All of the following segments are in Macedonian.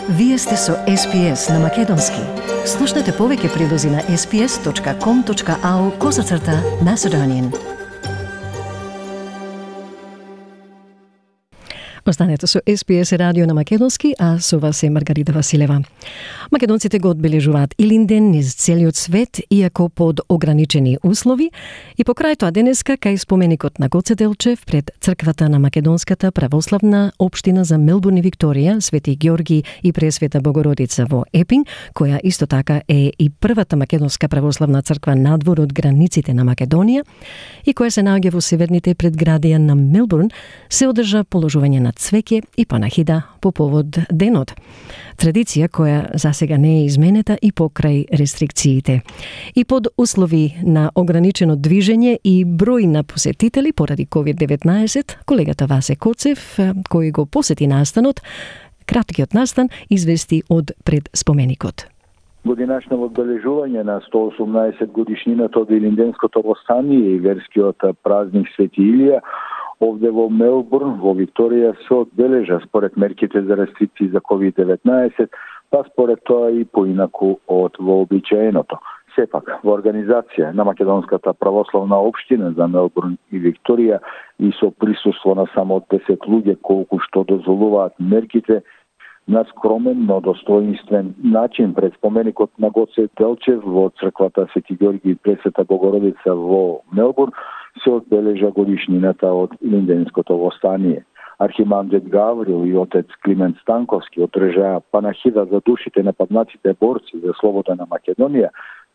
Вие сте со SPS на Македонски. Слушнете повеќе прилози на sps.com.au/Macedonian. Останете со SPS радио на Македонски, а со вас е Маргарита Василева. Македонците го одбележуваат Илинден низ целиот свет, иако под ограничени услови, и покрај тоа денеска кај споменикот на Гоце Делчев пред црквата на Македонската православна општина за Мелбурн и Викторија, Свети Ѓорги и Пресвета Богородица во Епинг, која исто така е и првата македонска православна црква надвор од границите на Македонија и која се наоѓа во северните предградија на Мелбурн, се одржа положување на цвеќе и панахида по повод денот. Традиција која засега не е изменета и покрај рестрикциите. И под услови на ограничено движење и број на посетители поради COVID-19, колегата Васе Коцев, кој го посети настанот, краткиот настан извести од пред споменикот. Годинашно одбележување на 118 годишнината од Илинденското востание и верскиот празник Свети Илија овде во Мелбурн, во Викторија, се одбележа според мерките за рестрикции за COVID-19, па според тоа и поинаку од вообичаеното. Сепак, во организација на Македонската православна општина за Мелбурн и Викторија и со присуство на само 10 луѓе колку што дозволуваат мерките, на скромен, но достоинствен начин пред споменикот на Гоце Делчев во црквата Свети Ѓорги и Пресвета Богородица во Мелбурн се одбележа годишнината од Илинденското востание. Архимандрит Гаврил и отец Климент Станковски одржаа панахида за душите на паднатите борци за слобода на Македонија,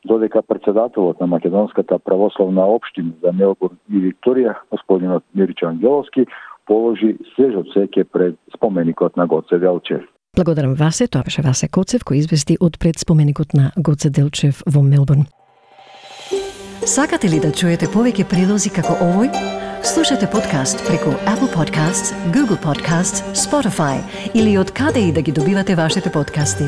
додека председателот на Македонската православна општина за Мелбурн и Викторија, господинот Мирчо Ангеловски, положи свежо цвеќе пред споменикот на Гоце Делчев. Благодарам Васе, тоа беше Васе Коцев кој извести од пред споменикот на Гоце Делчев во Мелбурн. Сакате ли да чуете повеќе прилози како овој? Слушате подкаст преку Apple Podcasts, Google Podcasts, Spotify или од каде и да ги добивате вашите подкасти.